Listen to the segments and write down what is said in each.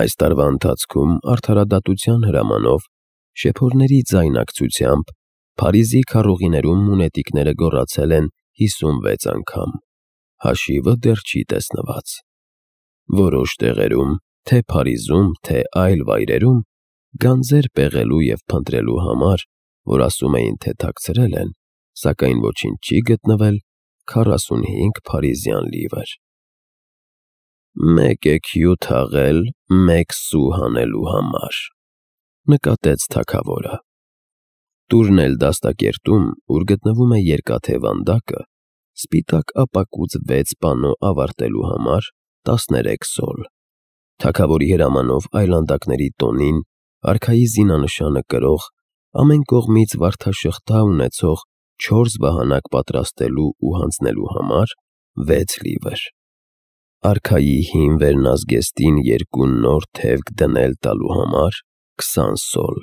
Այս տարվա ընթացքում արդարադատության հրամանով, շեփորների ձայնակցությամբ Փարիզի քառուղիներում մունետիկները գոռացել են 56 անգամ, հաշիվը դեռ չի տեսնված։ Որոշ տեղերում, թե Փարիզում, թե այլ վայրերում, գանձեր պեղելու և փնտրելու համար, որ ասում էին, թե թաքցրել են, սակայն ոչինչ չի գտնվել, 45 փարիզյան լիվր։ «Մեկ էքյու թաղել, մեկ սու հանելու համար», նկատեց թագավորը։ Տուրն էլ դաստակերտում, ուր գտնվում է երկաթե վանդակը, սպիտակ ապակուց 6 պանո ավարտելու համար 13 սոլ։ Թագավորի հրամանով այլանդակների տոնին, արքայի զինանշանը կրող, ամեն կողմից վարդաշղթա ունեցող 4 վահանակ պատրաստելու ու հանձնելու համար 6 լիվր։ Արքայի հին վերնազգեստին 2 նոր թևք դնել տալու համար 20 սոլ։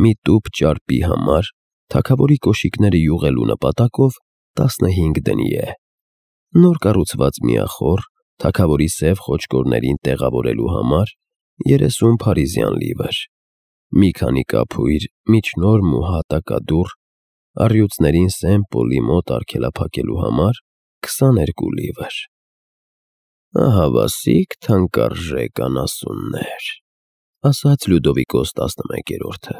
Մի տուփ ճարպի համար, թագավորի կոշիկները յուղելու նպատակով 15 դնի է։ Նոր կառուցված միախոռ, թագավորի սև խոճկորներին տեղավորելու համար 30 փարիզյան լիվր։ Մի քանի կափույր, միջնորմ ու հատակադուռ, առյուծներին Սեն-Պոլի մոտ արգելափակելու համար 22 լիվր։ «Ահավասիկ թանկարժեք անասուններ», ասաց Լյուդովիկոս 11-րդը։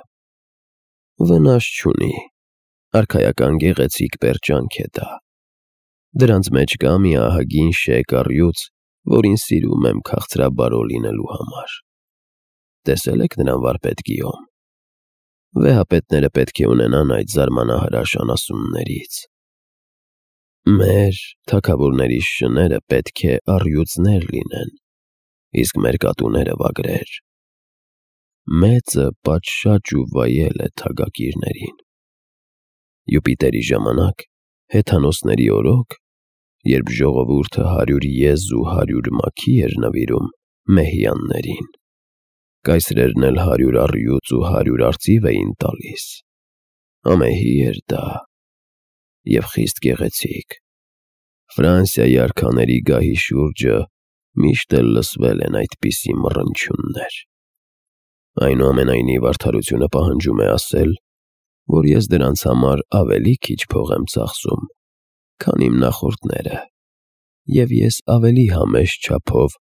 «Վնաս չունի, արքայական գեղեցիկ պերճանք է դա։ Դրանց մեջ կա մի ահագին շեկ առյուծ, որին սիրում եմ քաղցրաբարո լինելու համար։ Տեսե՞լ եք նրան, վարպետ Գիյոմ։ Վեհապետները պետք է ունենան այդ զարմանահրաշ անասուններից։ Մեր թագավորների շները պետք է առյուծներ լինեն, իսկ մեր կատուները վագրեր։ Մեծը պատշաճ ու վայել է թագակիրներին։ Յուպիտերի ժամանակ, հեթանոսների օրոք, երբ ժողովուրդը 100 եզ ու 100 մաքի էր նվիրում մեհյաններին, կայսրերն էլ 100 առյուծ ու 100 արծիվ էին տալիս։ Ամեհի էր դա և խիստ գեղեցիկ։ Ֆրանսիայի արքաների գահի շուրջը միշտ էլ լսվել են այդպիսի մռնչյուններ։ Այնուամենայնիվ արդարությունը պահանջում է ասել, որ ես դրանց համար ավելի քիչ փող եմ ծախսում, քան իմ նախորդները, և ես ավելի համեստ չափով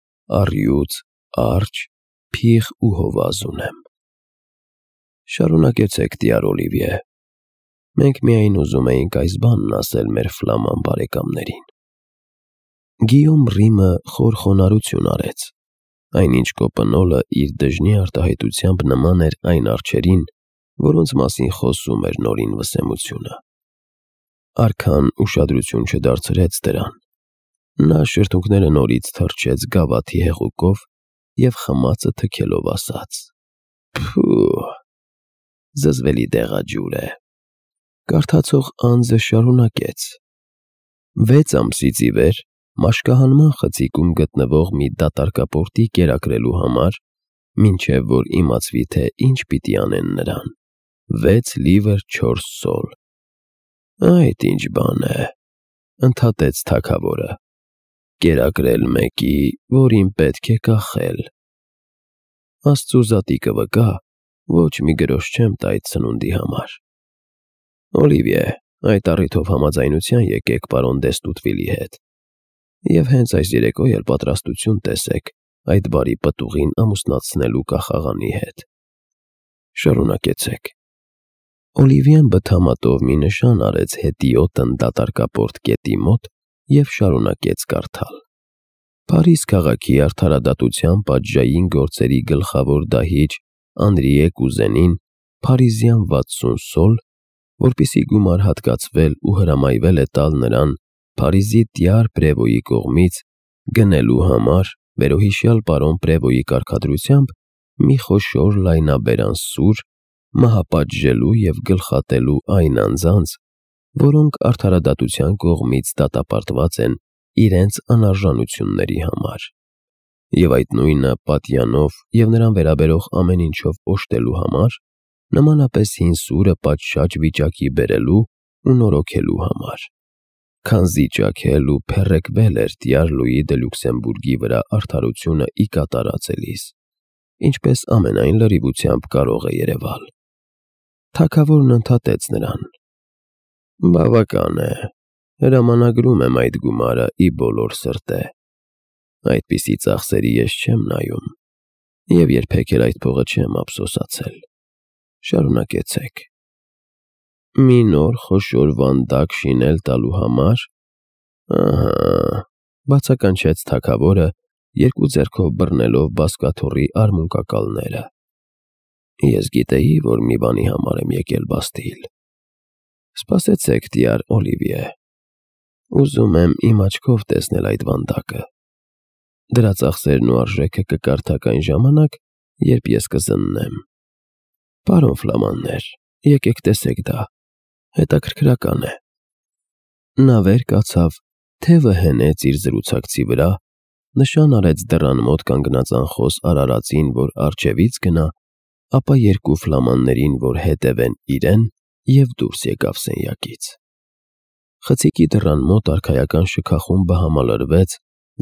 առյուծ, արճ, փիղ ու հովազ ունեմ։ Շարունակեցեք, տյար Օլիվիե։ Մենք միայն ուզում էինք այս բանն ասել մեր ֆլաման բարեկամներին։ Գիյոմ Ռիմը խոր խոնարհություն արեց, այնինչ Կոպնոլը իր դժնի արտահայտությամբ նման էր այն արջերին, որոնց մասին խոսում էր Նորին Վսեմությունը։ Արքան ուշադրություն չդարձրեց դրան։ Նա շրթունքները նորից թռչեց գավաթի հեղուկով և խմածը թքելով ասաց. «Փու, զզվելի դեղաջուր է»։ Կարդացող անձը շարունակեց. 6 ամսից ի վեր մաշկահանման խցիկում գտնվող մի դատարկապորտի կերակրելու համար, մինչև որ իմացվի, թե ինչ պիտի անեն նրան, 6 լիվր 4 սոլ։ Այդ ինչ բան է, ընդհատեց թագավորը, կերակրել մեկի, որին պետք է կախել։ Աստծու զատիկը վկա, ոչ մի գրոշ չեմ տա այդ սնունդի համար։ Օլիվիե, այդ առիթով համաձայնության եկեք պարոն Դեստուտվիլի հետ, և հենց այս երեկո էլ պատրաստություն տեսեք այդ բարի պտուղին ամուսնացնելու կախաղանի հետ։ Շարունակեցեք։ Օլիվիեն բթամատով մի նշան արեց հետիոտն դատարկապորտ կետի մոտ և շարունակեց կարդալ. Փարիզ քաղաքի արդարադատության պատժային գործերի գլխավոր դահիճ Անրիե Կուզենին փարիզյան 60 սոլ, որպեսզի գումար հատկացվել ու հրամայվել է տալ նրան Փարիզի տյար Պրևոյի կողմից գնելու համար վերոհիշյալ պարոն Պրևոյի կարգադրությամբ մի խոշոր լայնաբերան սուր, մահապատժելու և գլխատելու այն անձանց, որոնք արդարադատության կողմից դատապարտված են իրենց անարժանությունների համար, և այդ նույնը պատյանով և նրան վերաբերող ամեն ինչով օժտելու համար, նմանապես հին սուրը պատշաճ վիճակի բերելու ու նորոգելու համար, քանզի ճաքել ու փեռեկվել էր տյար Լուի դե Լյուքսեմբուրգի վրա արդարությունը ի կատարածելիս։ ինչպես ամենայն լրիվությամբ կարող է երևալ։ Թագավորն ընդհատեց նրան. «Բավական է, հրամանագրում եմ այդ գումարը ի բոլոր սրտե։ Այդպիսի ծախսերի ես չեմ նայում և երբեք էլ այդ փողը չեմ ափսոսացել։ Շարունակեցեք»։ Մի նոր խոշոր վանդակ շինել տալու համար։ Ահա, բացականչեց թագավորը, երկու ձեռքով բռնելով բազկաթոռի արմունկակալները։ Ես գիտեի, որ մի բանի համար եմ եկել Բաստիլ։ Սպասեցեք, տյար Օլիվիե, ուզում եմ իմ աչքով տեսնել այդ վանդակը։ Դրա ծախսերն ու արժեքը կկարդաք այն ժամանակ, երբ ես կզննեմ։ Պարոն Ֆլամաններ, եկեք տեսեք դա, հետաքրքրական է։ Նա վեր կացավ, թևը հենեց իր զրուցակցի վրա, նշան արեց դռան մոտ կանգնած անխոս արարածին, որ առջևից գնա, ապա երկու ֆլամաններին, որ հետևեն իրեն, և դուրս եկավ սենյակից։ Խցիկի դռան մոտ արքայական շքախումբը համալրվեց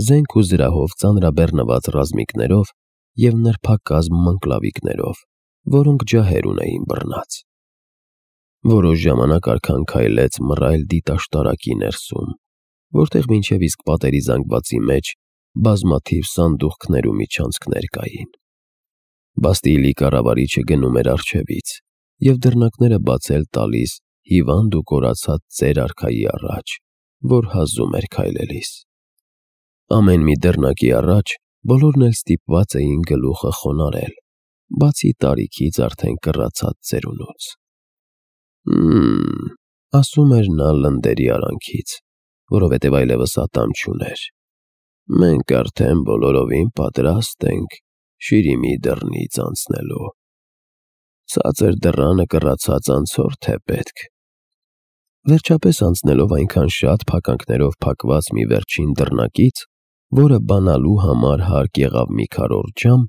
զենք ու զրահով ծանրաբեռնված ռազմիկներով և նրբակազմ մնկլավիկներով, որոնք ջահեր ունեին բռնած։ Որոշ ժամանակ արքան քայլեց մռայլ դիտաշտարակի ներսում, որտեղ մինչև իսկ պատերի զանգվածի մեջ բազմաթիվ սանդուղքներ ու միջանցքներ կային։ Բաստիլի կառավարիչը գնում էր առջևից և դռնակները բացել տալիս հիվանդ ու կորացած ծեր արքայի առաջ, որ հազում էր քայլելիս։ Ամեն մի դռնակի առաջ բոլորն էլ ստիպված էին գլուխը խոնարհել, բացի տարիքից արդեն կռացած ծերունուց։ Ասում էր նա լնդերի արանքից, որովհետև այլևս ատամ չուներ։ Մենք արդեն բոլորովին պատրաստ ենք Շիրիմի դռնից անցնելու։ Ցածր դռանը կռացած անցորդ է պետք։ Վերջապես անցնելով այնքան շատ փականքներով փակված մի վերջին դռնակից, որը բանալու համար հարկ եղավ մի քառորդ ժամ,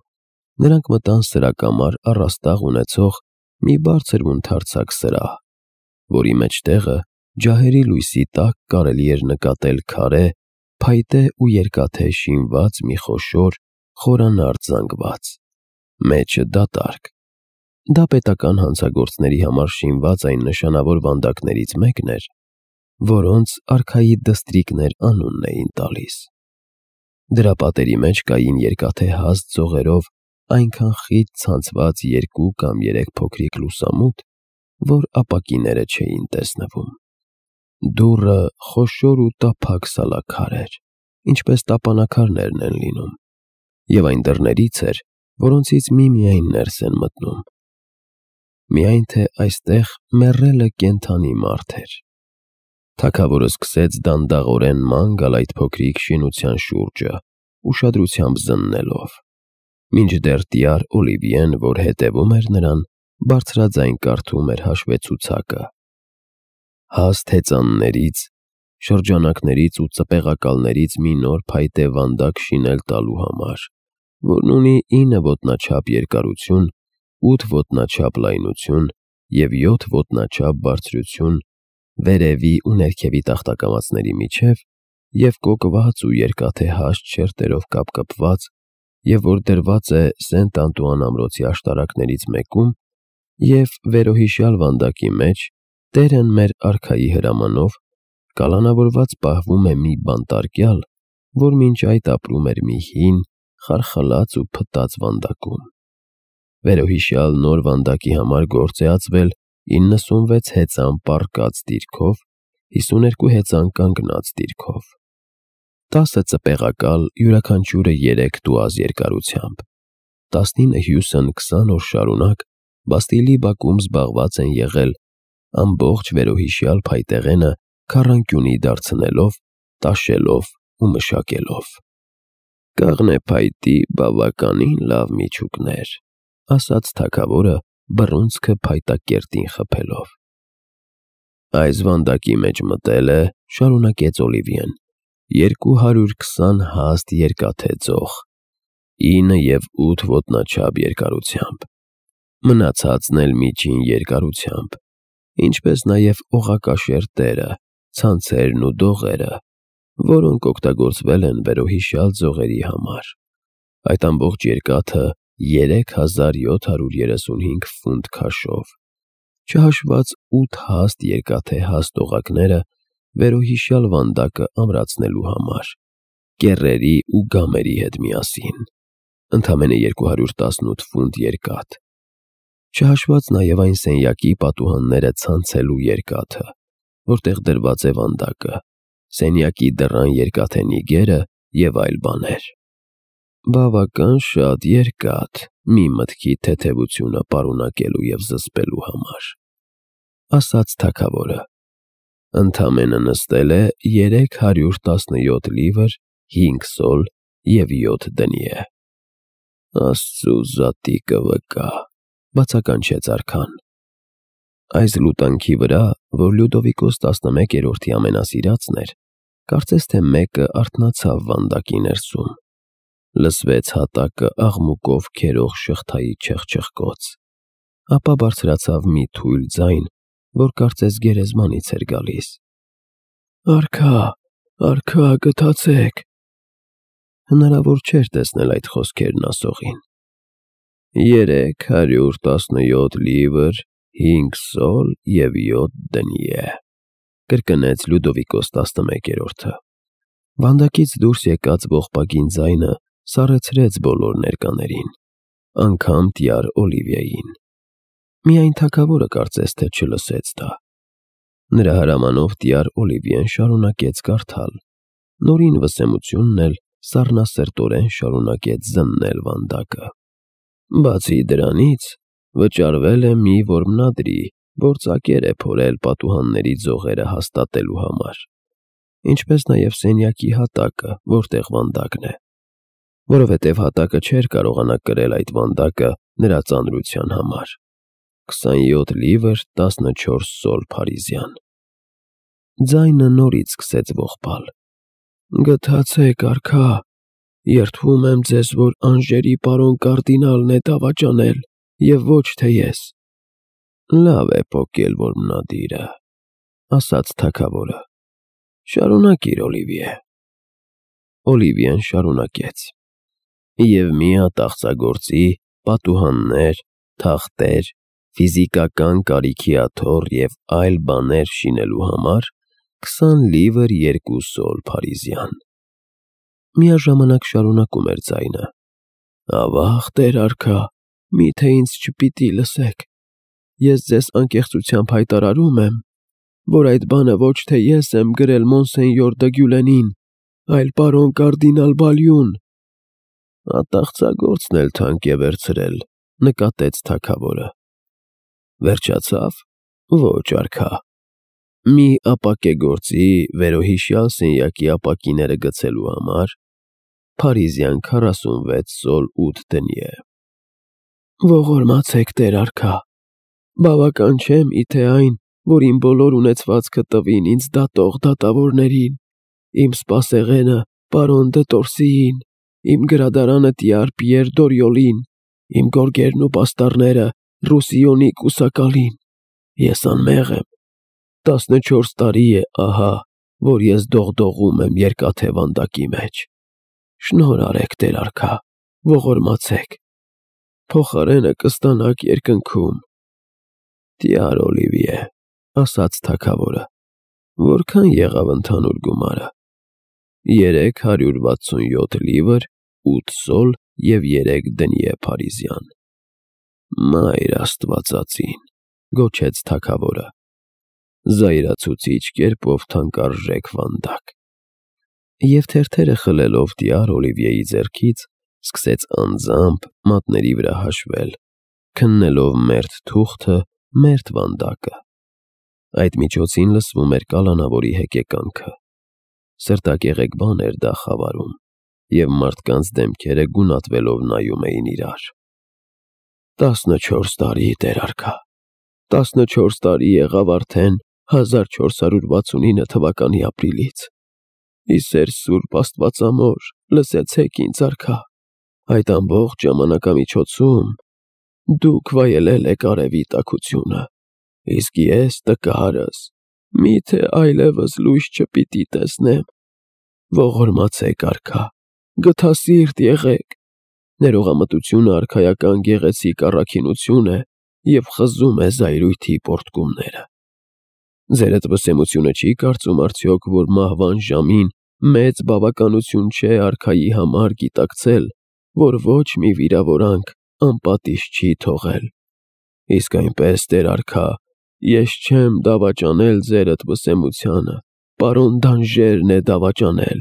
նրանք մտան սրակամար առաստաղ ունեցող մի բարձր ու ընդարձակ սրահ, որի մեջտեղը ջահերի լույսի տակ կարելի էր նկատել քարե, փայտե ու երկաթե շինված մի խոշոր, խորանարդ զանգված, մեջը դատարկ։ Դա պետական հանցագործների համար շինված այն նշանավոր վանդակներից մեկն էր, որոնց արքայի դստրիկներ անունն էին տալիս։ Դրա պատերի մեջ կային երկաթե հաստ ծողերով այնքան խիտ ցանցված երկու կամ երեք փոքրիկ լուսամուտ, որ ապակիները չէին տեսնվում։ Դուռը խոշոր ու տափակ սալաքար էր, ինչպես տապանաքարներն են լինում, և այն դռներից էր, որոնցից միմիայն ներս են մտնում։ Միայն թե այստեղ մեռելը կենդանի մարդ էր։ Թագավորը սկսեց դանդաղորեն ման գալ այդ փոքրիկ շինության շուրջը, ուշադրությամբ զննելով, մինչդեռ տյար Օլիվիեն, որ հետևում էր նրան, բարձրաձայն կարդում էր հաշվեցուցակը։ Հաստ հեծաններից, շրջանակներից ու ծպեղակալներից մի նոր փայտե վանդակ շինել տալու համար, որն ունի 9 ոտնաչափ երկարություն, 8 ոտնաչափ լայնություն և 7 ոտնաչափ բարձրություն վերևի ու ներքևի տախտակամածների միջև և կոկված ու երկաթե հաստ շերտերով կապկպված, և որ դրված է Սենտ Անտուան ամրոցի աշտարակներից մեկում, և վերոհիշյալ վանդակի մեջ Տերն մեր արքայի հրամանով կալանավորված պահվում է մի բանտարկյալ, որ մինչ այդ ապրում էր մի հին, խարխլած ու փտած վանդակում։ Վերոհիշյալ նոր վանդակի համար գործ է ածվել 96 հեծան պառկած դիրքով, 52 հեծան կանգնած դիրքով, 10 ծպեղակալ, յուրաքանչյուրը 3 տուազ երկարությամբ, 19 հյուսն 20 օր շարունակ Բաստիլի բակում զբաղված են եղել ամբողջ վերոհիշյալ փայտեղենը քառանկյունի դարձնելով, տաշելով ու մշակելով։ Կաղնե փայտի բավականին լավ միջուկներ, ասաց թագավորը բռունցքը փայտակերտին խփելով։ Այս վանդակի մեջ մտել է, շարունակեց Օլիվիեն, 220 հաստ երկաթե ծող, 9 և 8 ոտնաչափ երկարությամբ, մնացածն էլ միջին երկարությամբ, ինչպես նաև օղակաշեր տերը, ցանցերն ու դողերը, որոնք օգտագործվել են վերոհիշյալ ձողերի համար։ Այդ ամբողջ երկաթը 3735 ֆունտ քաշով, չհաշված 8 հաստ երկաթե հաստ օղակները վերոհիշյալ վանդակը ամրացնելու համար, կեռերի ու գամերի հետ միասին, ընդամենը 218 ֆունտ երկաթ, չհաշված նաև այն սենյակի պատուհանները ցանցելու երկաթը, որտեղ դրված է վանդակը, սենյակի դռան երկաթե նիգերը և այլ բաներ։ Բավական շատ երկաթ մի մտքի թեթևությունը պարունակելու և զսպելու համար, ասաց թագավորը, ընդամենը նստել է 317 լիվր 5 սոլ և 7 դնյե։ Աստծու զատիկը վկա, բացականչեց արքան։ Այս լուտանքի վրա, որ Լյուդովիկոս 11-րդի ամենասիրածն էր, կարծես թե մեկը արթնացավ վանդակի ներսում, լսվեց հատակը աղմուկով քերող շղթայի չխչխկոց, ապա բարձրացավ մի թույլ ձայն, որ կարծես գերեզմանից էր գալիս. «Արքա, արքա, գթացեք»։ Հնարավոր չէր տեսնել այդ խոսքերն ասողին։ 317 լիվր 5 սոլ և 7 դնյե, կրկնեց Լյուդովիկոս 11-րդը։ Վանդակից դուրս եկած ողբագին ձայնը սառեցրեց բոլոր ներկաներին, անգամ տյար Օլիվիային։ Միայն թագավորը կարծես թե չլսեց դա։ Նրա հրամանով տյար Օլիվիեն շարունակեց կարդալ, նորին վսեմությունն էլ սառնասրտորեն շարունակեց զննել վանդակը։ Բացի դրանից, վճարվել է մի որմնադրի, որ ծակեր է փորել պատուհանների ձողերը հաստատելու համար, ինչպես նաև սենյակի հատակը, որտեղ վանդակն է, որովհետև հատակը չէր կարողանա կրել այդ վանդակը նրա ծանրության համար, 27 լիվր 14 սոլ փարիզյան։ Ձայնը նորից սկսեց ողբալ. «Գթացեք, արքա, երդվում եմ ձեզ, որ անժերի պարոն կարդինալն է դավաճանել, և ոչ թե ես»։ Լավ է պոկել որմնադիրը, ասաց թագավորը։ Շարունակիր, Օլիվիե։ Օլիվիեն շարունակեց. «Եվ մի հատ աղցագործի, պատուհաններ, թախտեր, ֆիզիկական կարիքի աթոռ և այլ բաներ շինելու համար 20 լիվր 2 սոլ փարիզյան»։ Միաժամանակ շարունակում էր ձայնը. «Ավաղ, տեր արքա, միթե ինձ չպիտի լսեք։ Ես ձեզ անկեղծությամբ հայտարարում եմ, որ այդ բանը ոչ թե ես եմ գրել մոնսենյոր դը Գյուլենին, այլ պարոն կարդինալ Բալյուն»։ Ատաղծագործն էլ թանկ է վերցրել, նկատեց թագավորը։ Վերջացավ։ Ոչ, արքա։ Մի ապակեգործի վերոհիշյալ սենյակի ապակիները գցելու համար փարիզյան 46 սոլ 8 դնյե։ Ողորմացեք, տեր արքա, բավական չէ միթե այն, որ իմ բոլոր ունեցվածքը տվին ինձ դատող դատավորներին, իմ սպասեղենը պարոն դը Տորսիին, իմ գրադարանը տյար Պիեր Դորիոլին, իմ գորգերն ու պաստառները Ռուսիոնի կուսակալին։ Ես անմեղ եմ։ 14 տարի է ահա, որ ես դողդողում եմ երկաթե վանդակի մեջ։ Շնորհ արեք, տեր արքա, ողորմացեք, փոխարենը կստանաք երկնքում։ Տյար Օլիվիե, ասաց թագավորը, որքան եղավ ընդհանուր գումարը։ 367 լիվր 8 սոլ և 3 դնյե փարիզյան։ Մայր աստվածածին, գոչեց թագավորը, զայրացուցիչ կերպով թանկարժեք վանդակ։ Եվ թերթերը խլելով տյար Օլիվիեի ձեռքից, սկսեց անձամբ մատների վրա հաշվել, քննելով մերթ թուղթը, մերթ վանդակը։ Այդ միջոցին լսվում էր կալանավորի հեկեկանքը։ Սրտակեղեկ բան էր դա խավարում, և մարդկանց դեմքերը գունատվելով նայում էին իրար։ 14 տարի, տեր արքա, 14 տարի եղավ արդեն 1469 թվականի ապրիլից։ Իսեր սուրբ աստվածամոր, լսեցեք ինձ, արքա, այդ ամբողջ ժամանակամիջոցում դուք վայելել եք արևի տաքությունը, իսկ ես տկարս միթե այլևս լույս չպիտի տեսնեմ։ Ողորմացեք, արքա, գթասիրտ եղեք, Ներողամտությունը արքայական գեղեցիկ առաքինություն է և խզում է զայրույթի պոռթկումները։ Ձերդ վսեմությունը չի կարծում արդյոք, որ մահվան ժամին մեծ բավականություն չէ արքայի համար գիտակցել, որ ոչ մի վիրավորանք անպատիժ չի թողել։ Իսկ այնպես, տեր արքա, ես չեմ դավաճանել ձերդ վսեմությանը, պարոն Դանժերն է դավաճանել,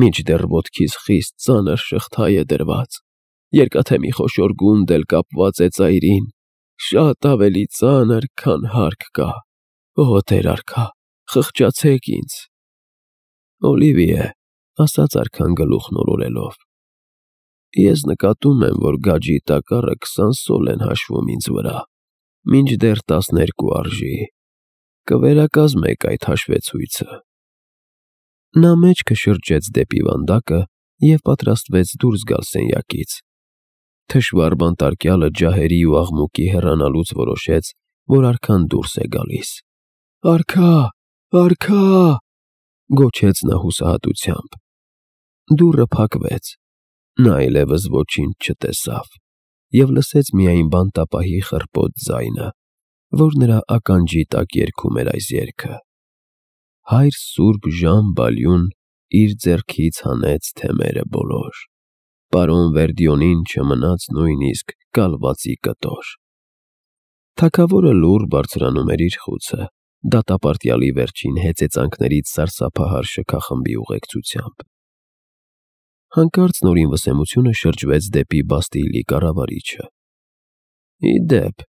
մինչդեռ ոտքիս խիստ ծանր շղթա է դրված, երկաթե մի խոշոր գունդ էլ կապված է ծայրին, շատ ավելի ծանր, քան հարկ կա, օ տեր արքա, խղճացեք ինձ։ Օլիվիե, ասաց արքան գլուխն օրորելով, ես նկատում եմ, որ գաջի տակառը 20 սոլ են հաշվում ինձ վրա, մինչդեռ 12 արժի, կվերակազմեք այդ հաշվեցույցը։ Նա մեջքը շրջեց դեպի վանդակը և պատրաստվեց դուրս գալ սենյակից։ Թշվառ բանտարկյալը ջահերի ու աղմուկի հեռանալուց որոշեց, որ արքան դուրս է գալիս։ «Արքա, արքա», գոչեց նա հուսահատությամբ։ Դուռը փակվեց։ Նա այլևս ոչինչ չտեսավ և լսեց միայն բանտապահի խռպոտ ձայնը, որ նրա ականջի տակ երգում էր այս երգը. «Հայր սուրբ Ժան Բալյուն իր ձեռքից հանեց թեմերը բոլոր, պարոն Վերդիոնին չմնաց նույնիսկ կալվածի կտոր»։ Թագավորը լուռ բարձրանում էր իր խուցը, դատապարտյալի վերջին հեծեծանքներից սարսափահար շքախմբի ուղեկցությամբ։ Հանկարծ նորին վսեմությունը շրջվեց դեպի Բաստիլի կառավարիչը։ «Ի դեպ»,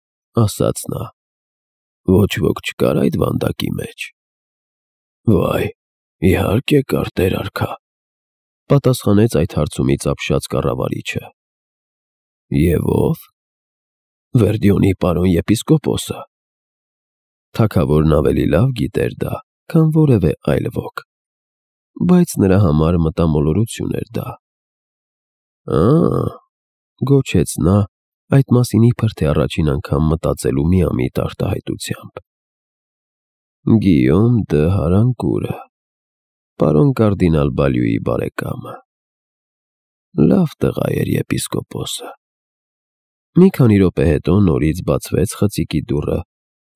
ասաց նա, ոչ ոք չկար այդ վանդակի մեջ։ «Վայ, իհարկե կար, տեր արքա», պատասխանեց այդ հարցումից ապշած կառավարիչը։ «Եվ ո՞վ»։ «Վերդիոնի պարոն եպիսկոպոսը»։ Թագավորն ավելի լավ գիտեր դա, քան որևէ այլ ոք, բայց նրա համար մտամոլորություն էր դա։ «Ա՜», գոչեց նա, այդ մասին իբր թե առաջին անգամ մտածելու միամիտ արտահայտությամբ։ «Գիյոմ դը Հարանկուրը, պարոն կարդինալ Բալյուի բարեկամը։ Լավ տղա էր եպիսկոպոսը»։ Մի քանի րոպե հետո նորից բացվեց խցիկի դուռը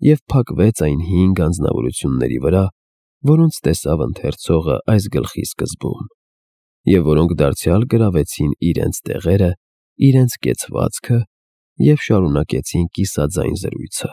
և փակվեց այն 5 անձնավորությունների վրա, որոնց տեսավ ընթերցողը այս գլխի սկզբում, և որոնք դարձյալ գրավեցին իրենց տեղերը, իրենց կեցվածքը և շարունակեցին կիսաձայն զրույցը։